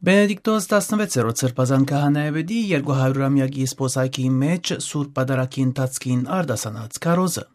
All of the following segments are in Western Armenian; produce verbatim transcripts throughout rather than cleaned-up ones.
Բենեդիկտոս տասնվեցերորդ Սրբազան քահանայապետի երկու հարիւրամեակի սպոսայքի մէջ Սուրբ Պատարագի ընթացքին արտասանած քարոզը։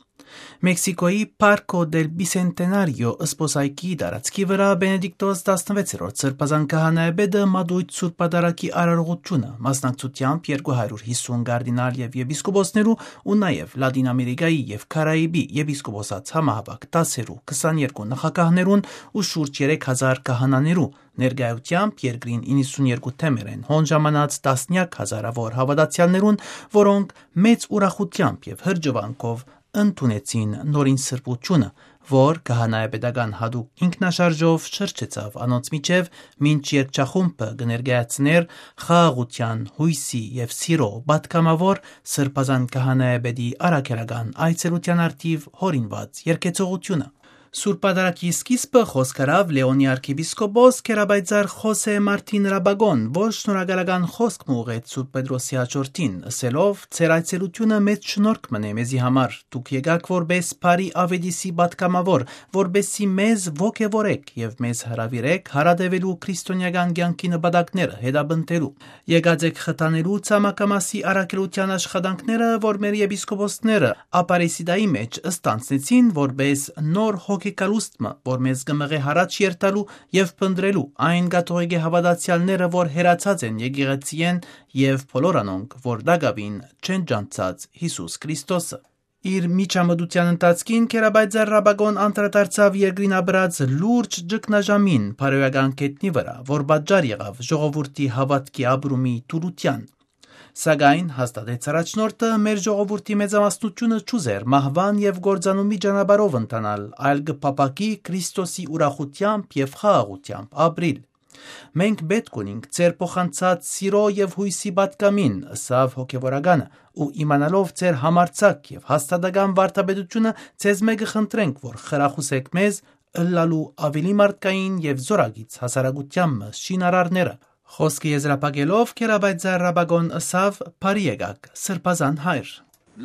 Մեքսիկոյի Parco del Bicentenario սպոսայքի տարածքի վրայ Բենեդիկտոս տասնվեցերորդ Սրբազան քահանայապետը մատոյց Սուրբ Պատարագի արարողությունը, մասնակցութեամբ երկու հարիւր յիսուն կարդինալ եւ եպիսկոպոսներու ու նաեւ Լատին Ամերիկայի եւ Կարաիբի եպիսկոպոսաց համահաւաք դասերու քսաներկու նախագահներուն ու շուրջ երեք հազար քահանաներու ներկայութեամբ երկրին իննսուններկու թեմերէն հոն ժամանած տասնեակ հազարաւոր հաւատացեալներուն, որոնք մեծ ուրախութեամբ եւ հրճուանքով ընդունեցին նորին սրբությունը, որ քահանայապետական յատուկ ինքնաշարժով շրջեցաւ անոնց միջեւ, մինչ երգչախումբը կը ներկայացնէր խաղաղութեան, յոյսի եւ սիրո պատգամաւոր Սրբազան քահանայապետի առաքելական այցելութեան առթիւ յորինուած երգեցողութիւնը։ Սուրբ Պատարագի սկիզբը խօսք առաւ Լեոնի արքեպիսկոպոս Քերապայծառ Խոսէ Մարտին Ռաբագոն, որ շնորհակալական խօսք մը ուղղեց Սուրբ Պետրոսի յաջորդին, ըսելով. «Ձեր այցելութիւնը մեծ շնորհք մըն է մեզի համար։ Դուք եկաք որպէս բարի աւետիսի պատգամաւոր, որպէսզի մեզ ոգեւորեք եւ մեզ հրաւիրեք յարատեւելու քրիստոնեական կեանքի նպատակները հետապնդելու։ Եկած եք խթանելու ցամաքամասի առաքելութեան աշխատանքները, որ մեր եպիսկոպոսները Ապարեսիդայի մէջ ստանձնեցին որպէս նոր հոգեկալուստ մը, որ մեզ կը մղէ յառաջ երթալու եւ փնտռելու այն կաթողիկէ հաւատացեալները, որ հեռացած են եկեղեցիէն, եւ բոլոր անոնք, որ տակաւին չեն ճանչցած Յիսուս Քրիստոսը»։ Իր միջամտութեան ընթացքին Քերապայծառ Ռաբագոն անդրադարձաւ երկրին ապրած լուրջ ճգնաժամին բարոյական գետնի վրայ, որ պատճառ եղաւ ժողովուրդի հաւատքի ապրումի թուլութեան։ Սակայն, հաստատեց առաջնորդը, մեր ժողովուրդի մեծամասնությունը չուզեր մահուան եւ կործանումի ճանապարհով ընթանալ, այլ կը փափաքի Քրիստոսի ուրախութեամբ եւ խաղաղութեամբ ապրիլ։ «Մենք պէտք ունինք ձեր փոխանցած սիրո եւ յոյսի պատգամին», ըսաւ հոգեւորականը, «ու իմանալով ձեր համարձակ եւ հաստատական վարդապետությունը, ձեզմէ կը խնդրենք, որ խրախուսէք մեզ ըլլալու աւելի մարդկային եւ զօրակից հասարակութեան մը շինարարները»։ Խօսքը եզրափակելով, Քերապայծառ Ռաբագոն ըսաւ. «Բարի եկաք, Սրբազան հայր»։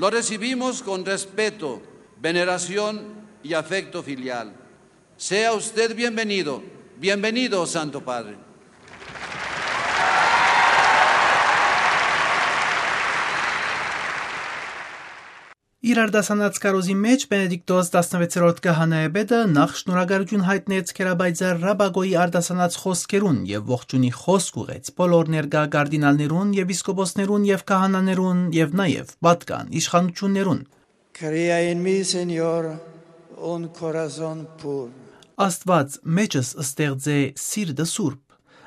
Lo recibimos con respeto, veneración y afecto filial. Sea usted bienvenido, bienvenido, Santo Padre. Իր արտասանած քարոզի մէջ Բենեդիկտոս տասնվեցերորդ քահանայապետը նախ շնորհակալութիուն յայտնեց Քերապայծառ Ռաբագոյի արտասանած խօսքերուն եւ ողջունի խօսք ուղղեց բոլոր ներկայ կարդինալներուն, եպիսկոպոսներուն եւ քահանաներուն եւ նաեւ պատկան իշխանութիւններուն։ Crea en mí, Señor, un corazón puro. «Աստուած, մեջս ստեղծէ սիրտը սուրբ»։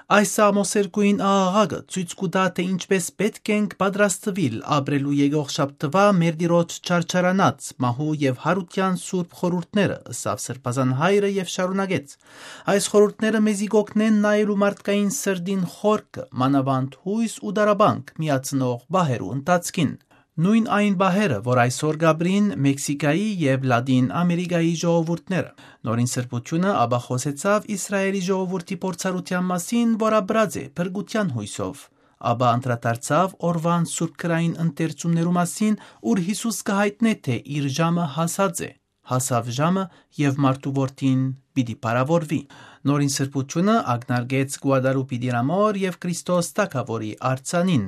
Այս ամոսերկուին աղաղակը ցոյց կու տայ, թէ ինչպէս պէտք ենք պատրաստուիլ ապրելու եկող շաբթուայ մեր Տիրոջ չարչարանած, մահու եւ յարութեան սուրբ խորհուրդները, ըսաւ Սրբազան հայրը եւ շարունակեց. «Այս խորհուրդները մեզի կօգնեն նայելու մարդկային սրտին խորքը, մանաւանդ յոյս ու տառապանք միացնող պահերու ընթացքին»։ Նոյն այն պահերը, որ այսօր կ'ապրին Մեքսիկայի եւ Լատին Ամերիկայի ժողովուրդները։ Նորին սրբութիւնը ապա խօսեցաւ Իսրայէլի ժողովուրդի փորձառութեան մասին, որ ապրած է փրկութեան յոյսով։ Ապա անդրադարձաւ օրուան սուրբ գրային ընթերցումներու մասին, ուր Յիսուս կը յայտնէ, թէ իր ժամը հասած է, հասաւ ժամը եւ մարդու որդին պիտի փառաւորուի։ Նորին սրբութիւնը ակնարկեց Գուադալուպի Տիրամօր եւ Քրիստոս Թագաւորի արձանին։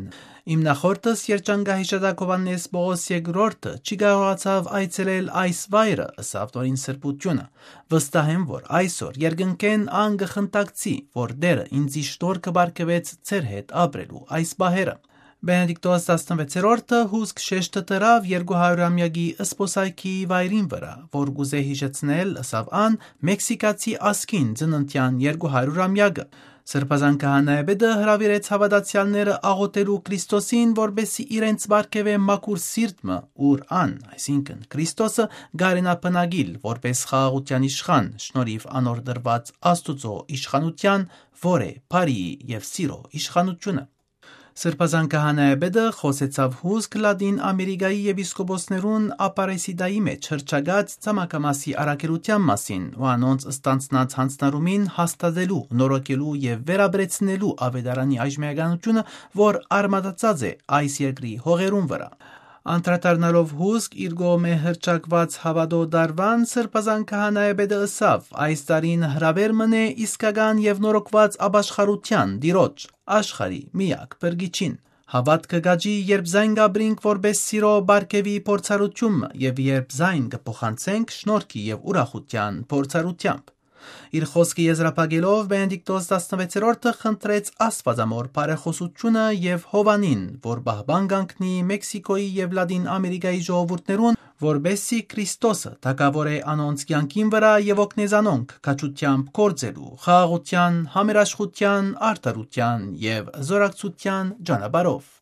«Իմ նախորդս, երջանկահիշատակ Յովհաննէս Պողոս երկրորդը, չի կարողացաւ այցելել այս վայրը», ըսաւ նորին սրբութիւնը։ «Վստահ եմ, որ այսօր երկնքէն ան կը խնդակցի, որ Տէրը ինծի շնորհքը պարգեւեց ձեր հետ ապրելու այս պահերը»։ Բենեդիկտոս տասնվեցերորդը հուսկ շեշտը դրաւ երկու հարիւրամեակի սպոսայքի վայրին վրայ, որ կ'ուզէ յիշեցնել, ըսաւ ան, մեքսիկացի ազգին ծննդեան երկու հարիւրամեակը։ Սրբազան քահանայապետը հրաւիրեց հաւատացեալները աղօթելու Քրիստոսին, որպէսզի իրենց պարգեւէ մաքուր սիրտ մը, ուր ան, այսինքն Քրիստոսը, կարենայ բնակիլ որպէս խաղաղութեան իշխան, շնորհիւ անոր տրուած Աստուծոյ իշխանութեան, որ է բարիի եւ սիրո իշխանութիւնը։ Սրբազան քահանայապետը խօսեցաւ հուսկ Լատին Ամերիկայի եպիսկոպոսներուն Ապարեսիդայի մէջ հռչակած ցամաքամասի առաքելութեան մասին ու անոնց ստանձնած յանձնառումին հաստատելու, նորոգելու եւ վերապրեցնելու աւետարանի այժմեականութիւնը, որ արմատացած է այս երկրի հողերուն վրայ։ Անդրադառնալով հուսկ իր կողմէ հռչակուած հաւատոյ տարուան, Սրբազան քահանայապետը ըսաւ. «Այս տարին հրաւէր մըն է իսկական եւ նորոգուած ապաշխարութեան Տիրոջ, աշխարհի միակ փրկիչին։ Հաւատքը կ'աճի, երբ զայն կ'ապրինք որպէս սիրոյ պարգեւի փորձառութիւն մը եւ երբ զայն կը փոխանցենք շնորհքի եւ ուրախութեան փորձառութեամբ»։ Իր խօսքը եզրափակելով՝ Բենեդիկտոս տասնվեցերորդը խնդրեց Աստուածամօր բարեխօսութիւնը եւ Յովհաննին, որ պահպան կանգնի Մեքսիքոյի եւ Լատին Ամերիկայի ժողովուրդներուն, որպէս զի Քրիստոսը թագաւորէ անոնց կեանքին վրայ եւ օգնէ զանոնք քաջութեամբ գործելու, խաղաղութեան, համերաշխութեան, արդարութեան եւ զօրակցութեան ճանապարհով։